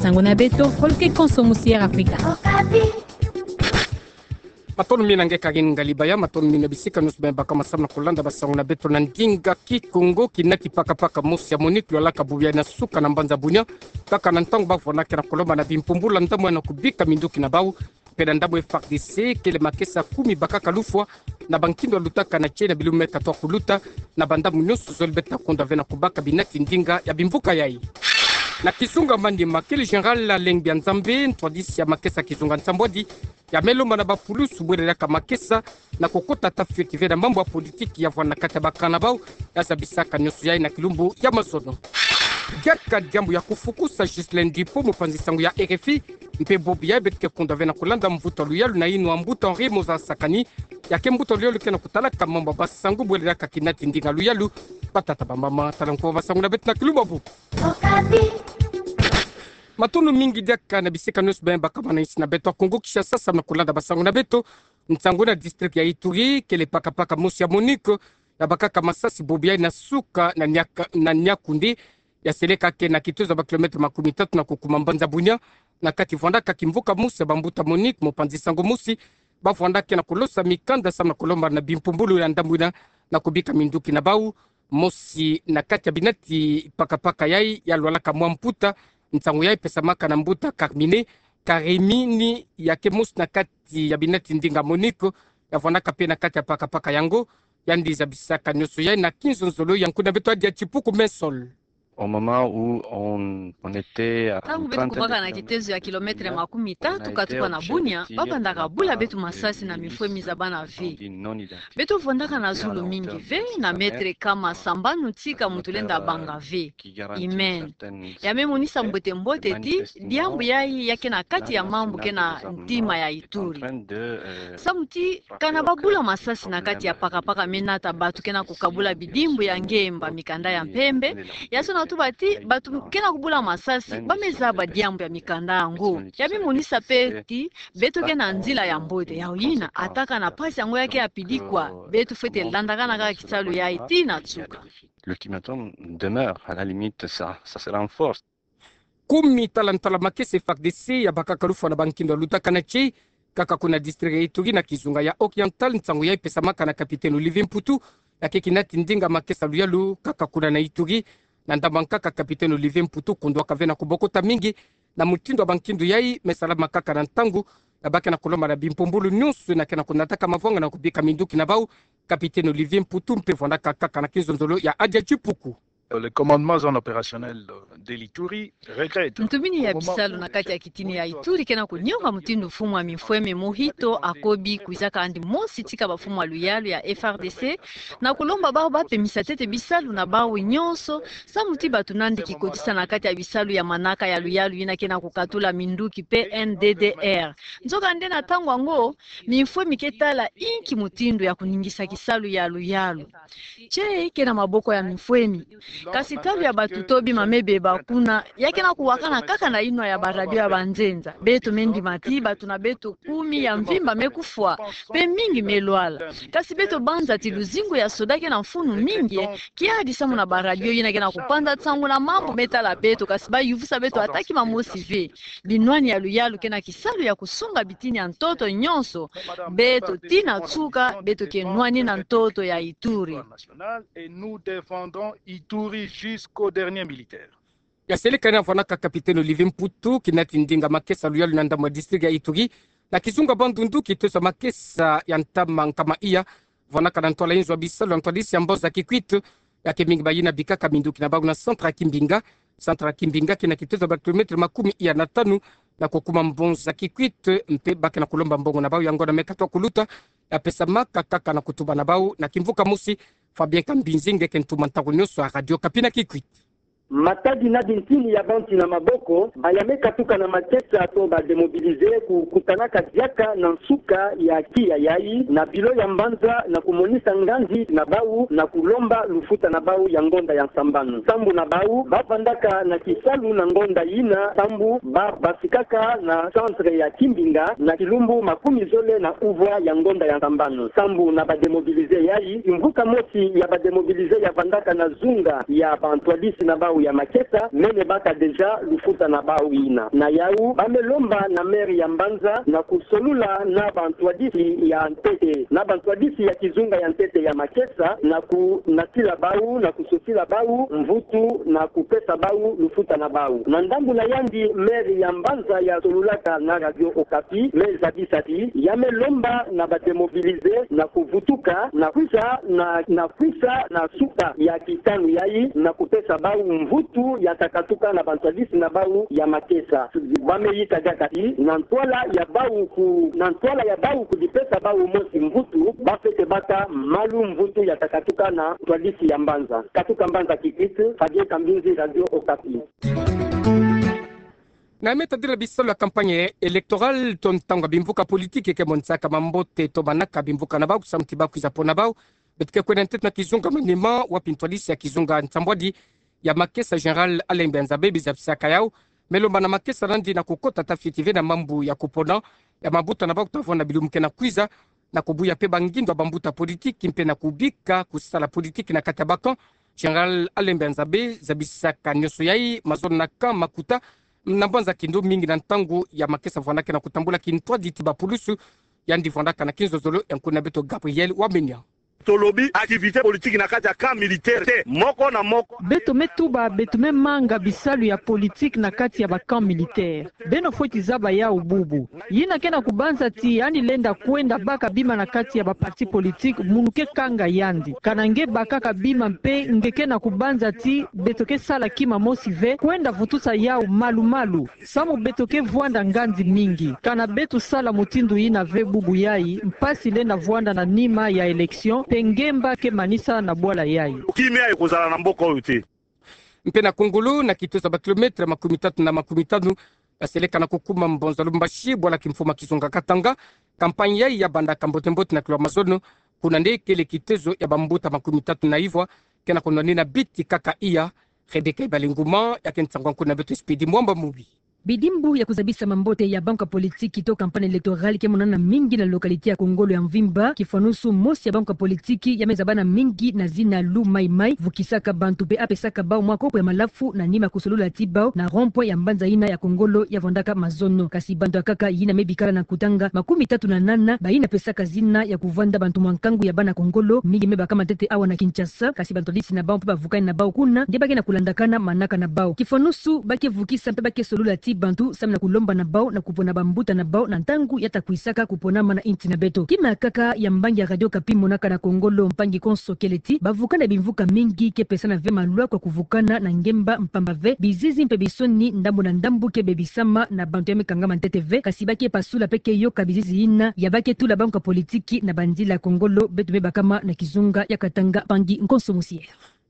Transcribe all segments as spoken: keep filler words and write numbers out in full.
Ntangu na beto, holo ke konso musi Air Afrika. Matondo mina nge Karine Ngalibaya, matondo mina bisika nyonso bima baka masamu na kolanda basango na beto na ndinga Kikongo. Kina ki pakapaka mosi ya MONUC lwalaka bubu yayi na suka na mbanza Bunia, kaka na ntangu ba vwandaka na kolomba na bimpumbulu ya ndambu na kubika minduki na bau, mpe na ndambu F A R D C, kele makesa kumi bakaka lufwa na bankindo ya lutaka na tie na bilumbu me katoa kuluta na bandambu nyonso zole. Beto ta kondwa ve na kubaka binati ndinga ya bimvuka yayi. Na kizunga Maniema, kele Général Alengbi ya Nzambe, ntwadisi ya makesa kizunga nsambwadi, ya me lomba na bapulusu bwelelaka makesa na kukota ata fioti ve na mambu ya politiki ya vwanda na kati ya bakana bau, ya zabisaka nyonso yayi na kilumbu ya mazono. Diaka diambu ya kufukusa Ghislain Dupont, mopanzi sango ya R F I, mpe bubu yayi beto ke kondwa ve na kolanda mvutu ya luyalu na inwa mbuta Henri Mozart Sakani, ya ke mbuta ya luyalu ke na kutalaka mambu ya basango bwelelaka kinati ndinga luyalu. Batata, bamama, tala nko basango na beto na kilumbu ya bubu. Matondo mingi diaka na bisika nyonso bima baka maninsi na beto ya Kongo Kinshasa samu na kolanda basango na beto. Ntangu na district ya Ituri, kele pakapaka mosi ya MONUC ya bakaka masasi bubu yayi na suka na Niak-, na Niakoundé, ya seleka ke na kitozo ya ba kilomètre makumi tatu na kukuma mbanza Bunia, na kati vwandaka kimvuka mosi ya bambuta MONUC, mopanzi sango mosi ba vwandaka na kulosa mikanda samu na kolomba na bimpumbulu ya ndambu yina na kubika minduki na bau. Mosi na kati ya binati pakapaka yayi ya lwalaka mwa mputa, nsangu yayi pesamaka na mbuta Carmine Karimini, ya ke mosi na kati ya binati ndinga MONUC ya vwandaka mpe na kati ya pakapaka yango. Yandi zabisaka nyonso yayi na kinzonzolo ya nkuna beto Adia Tipuku Mensol. Au moment où on, on était à une trentaine de kilomètres, ntangu beto kubaka na kitezo ya kilomètre makumi tatu katuka na Bunia, ba bandaka bula beto masasi na mifwemi za bana ve. Beto vwandaka na zulu mingi ve, na mètre kama sambanu tika muntu lenda banga ve. Amen. Ya me monisa mbote-mbote ti diambu yayi ya ke na kati ya mambu ke na ntima ya Ituri. Samu ti kana ba bula masasi na kati ya pakapaka me nata bato ke na kukabula bidimbu ya ngemba, mikanda ya mpembe, ya sona tuba ti bato ke na kubula masasi ba me zaba diambu ya mikanda yango. Ya me monisa mpe ti beto ke na nzila ya mbote, ya yina, ata kana mpasi yango ya ke ya pidikwa, beto fwete landakana kaka kisalu yayi tii na nsuka. L'ultimatum demeure, à la limite, ça, ça se renforce. Kumi tala ntala makesa F A R D C ya bakaka lufwa na bankindo ya lutaka na tie, kaka kuna district ya Ituri na kizunga ya Oriental, nsangu yayi pesamaka na capitaine Olivier Mputu, ya ke kinati ndinga makesa luyalu kaka kuna na Ituri. Na ndambu ya nkaka, capitaine Olivier Mputu kondwaka ve na kubokota mingi na mutindu ya bankindo yayi me salama kaka na ntangu ya ba ke na kulomba na bimpumbulu nyonso yina ke na kunataka mavwanga na kubika minduki na bau. Capitaine Olivier Mputu mpe vwandaka kaka na kinzonzolo ya Adia Tipuku. Le commandement zone opérationnelle de l'Ituri regrette. Ntu mina ya bisalu na kati ya kitini ya Ituri ke na kunionga mutindu mfumu ya mifwemi Mohito Akobi kwiza kandi mosi tika bamfumu ya luyalu ya F A R D C na kulomba bau ba pemisa ntete bisalu na bau nyonso, samu ti bato nandi kikotisa na kati ya bisalu ya manaka ya luyalu yina ke na kukatula minduki P N D D R. Nzokande na ntangu yango, mifwemi ke tala inki mutindu ya kuningisa kisalu ya luyalu. Tie ke na maboko ya mifwemi. Kasi ntalu ya batuto bima me beba kuna, ya ke na kuwakana kaka na inwa ya baradio ya banzenza. Beto me ndima ti bato na beto kumi ya mvimba me kufwa, mpe mingi me lwala. Kasi beto banza ti luzingu ya soda ke na mfunu mingi, kiadi samu na baradio yina ke na kupanza nsangu na mambu me tala beto, kasi ba yuvusa beto ata kima mosi ve. Binwani ya luyalu ke na kisalu ya kusunga bitini ya ntoto nyonso. Beto tii na nsuka, beto ke nwani na ntoto ya Ituri. Et nous défendrons Ituri jusqu'au dernier militaire. Ya seleka yina vwandaka capitaine Olivier Mputu, kinati ndinga makesa luyalu na ndambu ya district ya Ituri, na kizunga Bandundu, kitosa makesa ya ntama nkama iya, vwandaka na ntwala inzo ya bisalu ya ntwadisi ya mboza Kikwit, ya ke mingi ba yina bikaka minduki na bau na centre ya Kimbinga. Centre ya Kimbinga ke na kitosa ba kilomètre makumi iya na tanu na kukuma mboza Kikwit, mpe ba ke na kulomba mbongo na bau ya ngonda me katoa kuluta, ya pesamaka kaka na kutuba na bau na kimvuka mosi. Fabien Kambinzi nge ke ntuma ntangu nyonso ya Radio Okapi na Kikwit. Matadi na bintini ya bantu na maboko, ba ya me katuka na makesa to ba démobilisés kukutanaka diaka na nsuka ya tiya yayi na bilo ya mbanza na kumonisa nganzi na bau na kulomba lufuta na bau ya ngonda ya nsambanu. Sambu na bau ba vandaka na kisalu na ngonda yina, sambu ba basikaka na centre ya Kimbinga na kilumbu makumi zole na uvwa ya ngonda ya nsambanu. Sambu na ba démobilisés yayi, kimvuka mosi ya ba démobilisés ya vandaka na zunga ya bantwadisi na bau ya Makesa, mene baka déjà lufuta na bau yina. Na yau, ba me lomba na maire ya mbanza na kusolula na bantwadisi ya ntete, na bantwadisi ya kizunga ya ntete ya Makesa, na kunatila bau, na kusosila bau mvutu, na kupesa bau lufuta na bau. Na ndambu na yandi, maire ya mbanza ya solulaka na Radio Okapi, me zabisa ti, ya me lomba na ba démobilisés na kuvutuka, na kwisa, na, na kwisa na suka ya kitanu yayi, na kupesa bau mvutu ya takatuka na bantwadisi na bau ya Makesa. Ba me yika diaka ti, na ntwala ya bau ku, na ntwala ya bau kudipesa bau mosi mvutu, ba fwete baka malu mvutu ya takatuka na ntwadisi ya mbanza. Katuka mbanza Kikwit, Fabien Kambinzi, Radio Okapi. Na me tadila bisalu ya campagne électorale, to ntangu ya bimvuka politique ke monisaka mambote to manaka bimvuka na bau, kusamu ti bau kwiza pona bau, beto ke kwenda ntete na kizunga Maniema, wapi ntwadisi ya kizunga nsambwadi ya Makesa, Général Alain Mbianzabe, bizabisaka yau me lomba na Makesa nandi na kukota tafiti ve na mambu ya kupona ya mambuta na bau, kutavona bilumbu ke na kwiza, na kubuya mpe bangindo ya bambuta politique mpe na kubika kusala politique na kati ya ba camp. Général Alain Mbianzabe zabisaka nionso yayi mazono na camp Makuta, na mbanza Kindu, mingi na ntangu ya Makesa vwandaka na kutambula kintwadi ti bapulusu. Yandi vwandaka na kinzozolo ya nkuna beto Gabriel Wamenya. Tolobi activité politique na kati ya camp militaire te, moko na moko. Beto me tuba, beto me manga bisalu ya politique na kati ya ba camp militaire. Beno fweti zaba yau bubu. Yina ke na kubanza ti yandi lenda kwenda baka bima na kati ya ba parti politique, munu ke kanga yandi. Kana nge bakaka bima mpe nge ke na kubanza ti beto ke sala kima mosi ve, kwenda vutusa yau malu-malu. Samu beto ke vwanda nganzi mingi. Kana beto sala mutindu yina ve bubu yayi, mpasi lenda vwanda na nima ya élection, mpe ngemba ke manisa na bwala yayi. Kimia ekozala na mboka oyo te. Mpe na Kongolo, na kitoso ya ba kilomètre makumi tatu na makumi tanu ya seleka na kukuma Mbanza Lumbashi, bwala kimfumu ya kizunga Katanga, campagne yayi ya bandaka mbote-mbote na kilumbu ya mazono, kuna nde kele kitoso ya bambuta makumi tatu na ivwa ke na kunwanina biti kaka iya. Rebecca Ibalinguma, ya ke nsangu ya nkuna beto Speedy Mwamba Mubi. Bidimbu ya kuzabisa mambote ya banque ya politiki to campagne électorale ke monana mingi na localité ya Kongolo ya mvimba. Kifwanusu, mosi ya banque ya politiki ya me zabana mingi na zina Lu Mai Mai, vukisaka bantu mpe apesaka bau mwa kopo ya malafu na nima kusolula ti bau na rond-point ya mbanza yina ya Kongolo ya vwandaka mazono. Kasi bantu ya nkaka yina me bikala na kutanga makumi tatu na nana, bayina pesaka zina ya kuvwanda bantu mwa nkangu ya bana Kongolo, mingi me bakama ntete awa na Kinshasa, kasi bantwadisi na bau mpe bavukani na bau kuna nde ba ke na kulandakana manaka na bau. Kifwanusu, ba ke vukisa mpe ba ke solula ti bantu samu na kulomba na bau na kupona bambuta na bau na ntangu ya ta kwisaka kuponama na insi na beto. Kima kaka ya mbangi ya Radio Okapi monaka na Kongolo, mpangi konso kele ti bavukani ya bimvuka mingi ke pesana ve malwa kwa kuvukana na ngemba, mpamba ve bizizi mpe bisoni ndambu na ndambu ke bebisama na bantu ya me kangama ntete ve, kasi ba ke pasula mpe ke yoka bizizi yina ya ba ke tula banque ya politiki na banzila Kongolo beto me bakama na kizunga ya Katanga, mpangi konso Musier.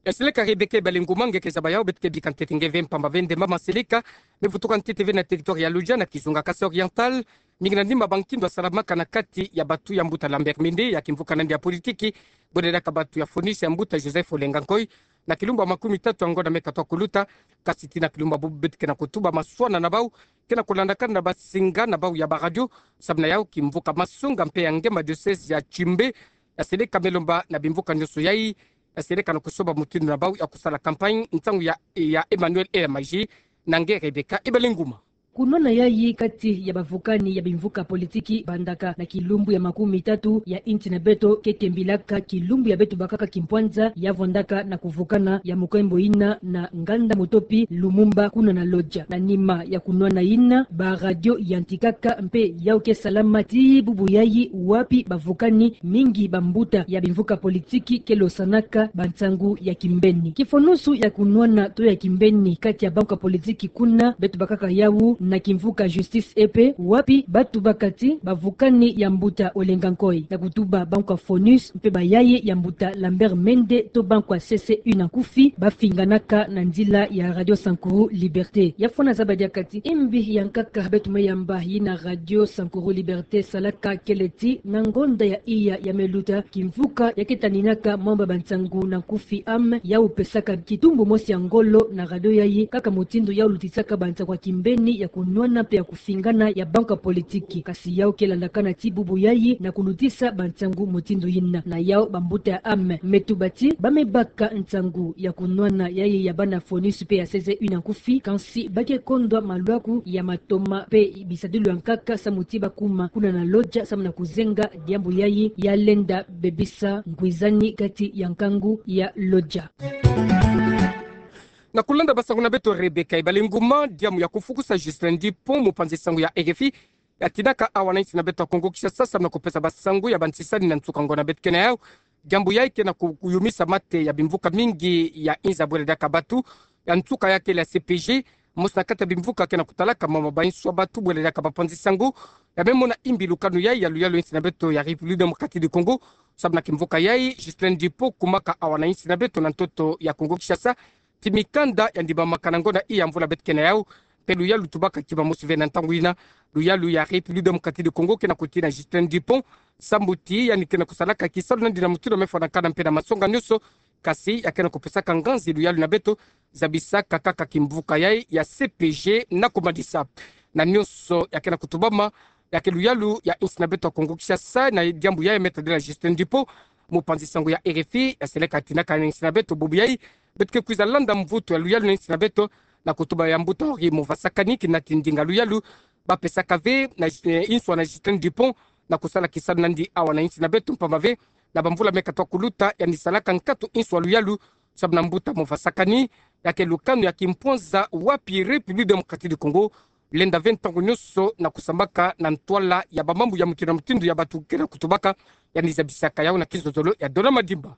Ya seleka Rebecca Ibalinguma, nge ke zaba yau, beto ke bika ntete nge ve mpamba ve nde mama seleka me vutuka ntete ve na territoire ya Lodja na kizunga Kasaï Oriental, mingi na nima bankindo ya salamaka na kati ya batu ya mbuta Lambert Mende, ya kimvuka nandi ya politiki, bwendedaka batu ya FONUS ya mbuta Joseph Olenga Nkoy, na kilumbu ya makumi tatu ya ngonda me katwa kuluta. Kasi tii na kilumbu ya bubu beto ke na kutuba maswana na bau ke na kulandakana na basinga na bau ya ba radio. Samu na yau, kimvuka masonga mpe ya nge ma diocèse ya Tchimbe ya seleka me lomba na bimvuka nionso yayi ya seleka na kusoba mutindu na bau ya kusala campagne ntangu ya, ya Emmanuel Elamagi na nge Rebecca Ibalinguma. Kunwana yayi kati ya bavukani ya bimvuka politiki bandaka na kilumbu ya makumi tatu ya insi na beto ke kembilaka kilumbu ya beto bakaka kimpwanza ya vwandaka na kuvukana ya mukembo yina na nganda mutopi Lumumba kuna na Lodja. Na nima ya kunwana yina, ba radio yantikaka mpe yau ke salama tii bubu yayi, wapi bavukani mingi bambuta ya bimvuka politiki ke losanaka bansangu ya kimbeni. Kifwanusu ya kunwana to ya kimbeni kati ya banque ya politiki kuna, beto bakaka yau na kimvuka Justice Epe, wapi ba tubaka ti bavukani ya mbuta Olenga Nkoy, ya kutuba banque ya FONUS mpe bayaye ya mbuta Lambert Mende to banque ya C C U na nkufi, bafinganaka na nzila ya Radio Sankuru Liberté. Ya fwana zaba diaka ti imbi ya nkaka beto me yamba yina Radio Sankuru Liberté salaka kele ti na ngonda ya iya ya me luta, kimvuka ya ke taninaka mwamba bansangu na nkufi ame, yau pesaka kitumbu mosi ya ngolo na radio yayi, kaka mutindu yau lutisaka bansangu ya kimbeni ya kunwana mpe ya kufingana ya banque ya politiki. Kasi yau ke landakana ti bubu yayi na kulutisa bansangu mutindu yina. Na yau bambuta ya ame me tuba ti ba me baka nsangu ya kunwana yayi ya bana FONGIS mpe ya C G U na nkufi, kansi ba ke kondwa malwaku ya matoma mpe bisadulu ya nkaka samu ti ba kuma kuna na Lodja samu na kuzenga diambu yayi ya lenda bebisa ngwizani kati ya nkangu ya Lodja. Na kulanda basangu na beto Rebecca Ibalenguma, diambu ya kufukusa Justin Dupont, mupanzi sangu ya R F I, ya tinaka awa na insi na beto ya Kongo Kinshasa, samu na kupesa basangu ya bantisani na nsuka ngonda beto ke na yau. Diambu yayi ke na ku-, kuyumisa mate ya bimvuka mingi ya inza bwela diaka batu, ya nsuka ya kele ya C P G, mosi na kati ya bimvuka ke na kutalaka mama ba inswa batu bwela diaka bapanzi sangu, ya me mona imbi lukanu yayi ya luyalu insi na beto ya République Démocratique du Congo, samu na kimvuka yayi, Justin Dupont kumaka awa na insi na beto na ntoto ya Kongo Kinshasa, ti mikanda ya ndimamaka na ngonda iya mvula beto ke na yau, mpe luyalu tubaka ti bamosi ve na ntangu yina, luyalu ya République Démocratique du Congo ke na kutina Justin Dupont, samu ti yandi ke na kusalaka kisalu na yandi na mutindu me fwanakana mpe na masonga nyonso, kasi ya ke na kupesaka nganzi luyalu na beto, zabisaka kaka kimvuka yayi ya C P G na kumadisa. Na nyonso ya ke na kutubama, ya ke luyalu ya insi na beto ya Kongo Kinshasa, na diambu yayi me tadila Justin Dupont, mupanzi sangu ya R F I, ya seleka tinaka na insi na beto bubu yayi, beto ke kwiza landa mvutu ya luyalu na insi na beto, na kutuba ya mbuta Henri Movasakani, kina ti ndinga luyalu ba pesaka ve na, eh, inswa na Justin Dupont, na kusala kisalu na yandi awa na insi na beto mpamba ve, na bamvula me katoa kuluta, yandi salaka nkatu inswa luyalu, samu na mbuta Movasakani, ya ke lukanu ya kimpwanza wapi République Démocratique du Congo lenda ve ntangu nyonso na kusambaka na ntwala ya bamambu ya mutindu na mutindu ya batu ke na kutubaka, yandi zabisaka yau na kizozolo ya Dona Madimba.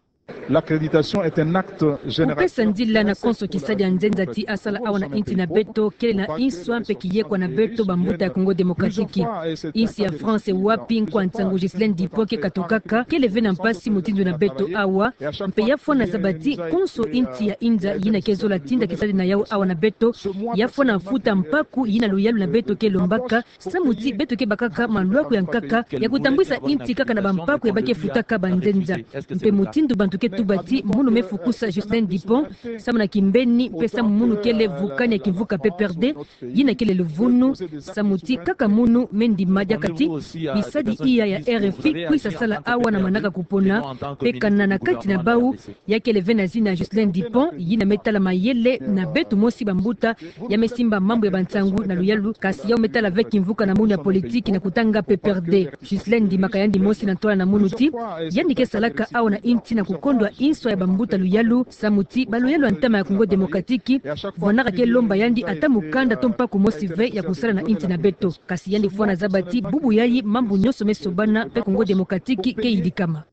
L'accréditation est un acte générateur. Kupesa nzila na konso kisadi ya nzenza ti asala awa na insi na beto kele na inswa mpe kiyekwa na beto bambuta ya Kongo Démocratique. Insi ya France wapi nkwa nsangu Justin Dupont ke katukaka, kele ve na mpasi mutindu na beto awa, mpe ya fwana zaba ti konso insi ya inza yina ke zola tinda kisadi na yau awa na beto, ya fwana futa mpaku yina luyalu na beto ke lombaka, samu ti beto ke bakaka malwaku ya nkaka ya kutambwisa insi kaka na bampaku ya ba ke futaka banzenza. Mpe mutindu bantu ke tuba ti munu me fukusa Justin Dupont, samu na kimbeni mpe samu munu kele vukani ya kimvuka P P R D, yina kele luvunu, samu ti kaka munu me ndima diaka ti bisadi iya ya R F I kwisa sala awa na manaka kupona, mpe kana na kati na bau, ya kele ve na zina Justin Dupont, yina me tala mayele na beto mosi bambuta, ya me simba mambu ya bansangu na luyalu, kasi yau me tala ve kimvuka na munu ya politiki na kutanga P P R D. Justin Dupont, dimaka yandi mosi na ntwala na munu ti, yandi ke salaka awa na insi na kukondwa inswa ya bambuta luyalu, samu ti baluyalu ya ntama ya Congo Démocratique, vwanaka ke lomba yandi ata mukanda to mpaku mosi ve ya kusala na insi na beto. Kasi yandi fwana zaba ti bubu yayi mambu nyonso me sobana mpe Congo Démocratique ke yidikama.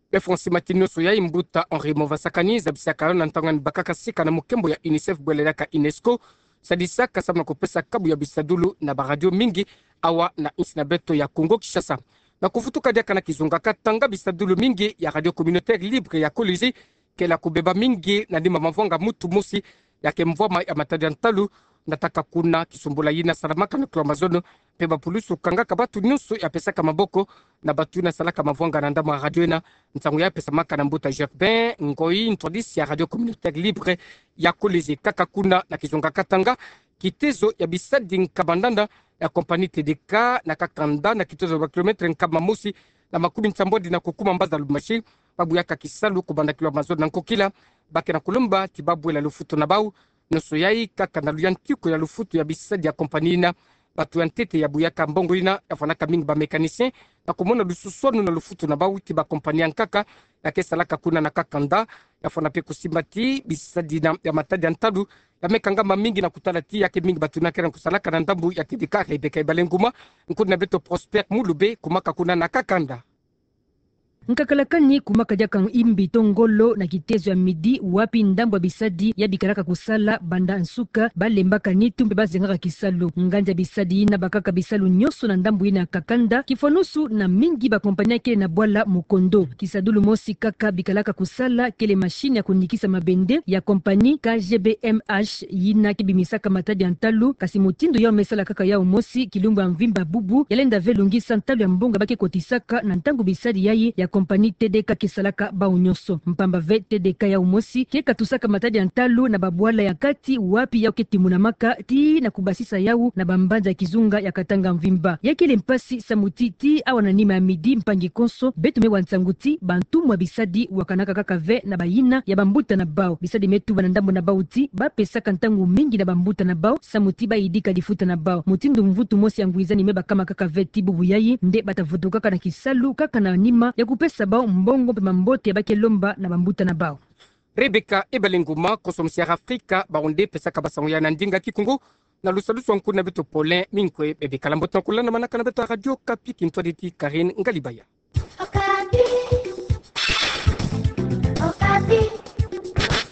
Mpe fwana sima ti nyonso yayi, mbuta Henri Movasakani zabisaka yau na ntangu yandi bakaka sika na mukembo ya UNICEF bwele diaka UNESCO, sadisaka samu na kupesa kabu ya bisadulu na baradio mingi awa na insi na beto ya Congo Kinshasa. Na kuvutuka diaka na kizunga katanga, bisadulu mingi ya radio communautaire libre ya Kolwezi kele ya kubeba mingi na nima mavwanga mutu mosi, ya ke mvwama ya matadi ya ntalu, na taka kuna kisumbula yina salamaka na kilo ya mazono, mpe bapulusu kangaka batu nyonso ya pesaka maboko na batu yina salaka mavwanga na ndambu ya radio yina. Nsangu ya pesamaka na mbuta Germain Ngoyi, ntwadisi ya radio communautaire libre ya Kolwezi. Kaka kuna na kizunga katanga, kitezo ya bisadi nkaba ndanda ya compagnie T D K na kakanda na kitezo ya ba kilomètre nkama mosi na makumi nsambwadi na kukuma mbazi ya Lubumbashi, ba buyaka kisalu kubanda kilo ya mazono na nkokila, ba ke na kulomba ti ba bwela lufutu na bau. Nyonso yayi kaka na luyantiku ya lufutu ya bisadi ya compagnie yina. Batu ya ntete ya buyaka mbongo yina ya fwanaka mingi ba mécanicien, na kumona lususwanu na lufutu na bau ti ba compagnie ya nkaka ya ke salaka kuna na kakanda. Ya fwana mpe kusimba ti bisadi yina ya matadi ya ntalu ya me kangama mingi na kutala ti ya ke mingi batu yina ke na kusalaka na ndambu ya T D K. Rebecca Ibalenguma, nkundi na beto Prosper Mulube, kumaka kuna na kakanda. Nkakalakani kumaka diaka imbi to ngolo na kitezo ya midi, wapi ndambu ya bisadi ya bikalaka kusala banda nsuka ba lembaka nitu mpe ba zengaka kisalu. Nganzi ya bisadi yina bakaka bisalu nyonso na ndambu yina ya kakanda, kifwanusu na mingi ba compagnie ya kele na bwala Mukondo. Kisadulu mosi kaka bikalaka kusala kele machine ya kunikisa mabende ya compagnie K G B M H, yina ke bimisaka matadi ya ntalu, kasi mutindu yau me sala kaka yau mosi kilumbu ya mvimba bubu, ya lenda ve lungisa ntalu ya mbongo ba ke kotisaka na ntangu bisadi yayi ya compagnie T D K ke salaka bau nyonso. Mpamba ve T D K yau mosi ke katusaka matadi ya ntalu na babwala ya kati wapi yau ke timonamaka tii na kubasisa yau na bambanza ya kizunga ya Katanga mvimba. Ya kele mpasi samu ti tii awa na nima ya midi mpangi konso beto me wa nsangu ti bantumwa bisadi wakanaka kaka ve na bayina ya bambuta na bau. Bisadi me tuba na ndambu na bau ti bapesaka ntangu mingi na bambuta na bau samu ti bayidika lifuta na bau. Mutindu mvutu mosi ya ngwizani me bakama kaka ve ti bubu yayi nde bata vutukaka na kisalu kaka na nima ya kupesa bau mbongo mpe mambote ya ba ke lomba na bambuta na bau. Rebecca Ebalenguma, konso musi Air Afrika, bau nde pesaka basango ya na ndinga kikongo, na lusadusu a nkuna beto pole minkwe bebe. Kala mbote na kulana manaka na beto a Radio Okapi, kintwari ti Karine Ngalibaya. Okapi. Okapi.